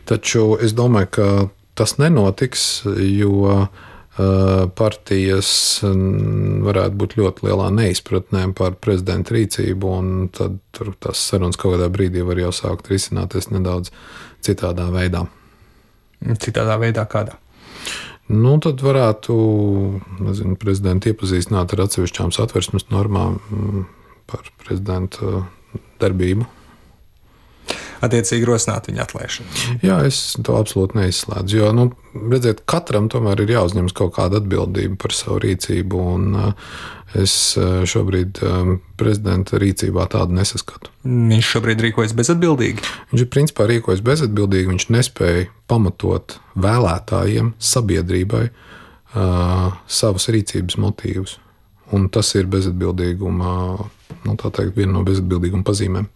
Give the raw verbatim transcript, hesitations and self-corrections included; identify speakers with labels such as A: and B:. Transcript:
A: Taču es domāju, ka tas nenotiks, jo partijas varētu būt ļoti lielā neizpratnē par prezidenta rīcību, un tad tur tās sarunas kaut kādā brīdī var jau sākt risināties nedaudz citādā veidā.
B: Citādā veidā kādā?
A: Nu, tad varētu, nezinu, prezidentu iepazīstināt ar atsevišķām satversmes normām par prezidenta darbību.
B: Attiecīgi rosināt viņa atlaišanu.
A: Jā, es to absolūti neizslēdzu, jo, nu, redziet, katram tomēr ir jāuzņemas kaut kāda atbildība par savu rīcību, un es šobrīd prezidenta rīcībā tādu nesaskatu.
B: Viņš šobrīd rīkojas bezatbildīgi?
A: Viņš ir principā rīkojas bezatbildīgi, viņš nespēja pamatot vēlētājiem, sabiedrībai uh, savas rīcības motīvus, un tas ir bezatbildīguma, nu, tā teikt, viena no bezatbildīguma pazīmēm.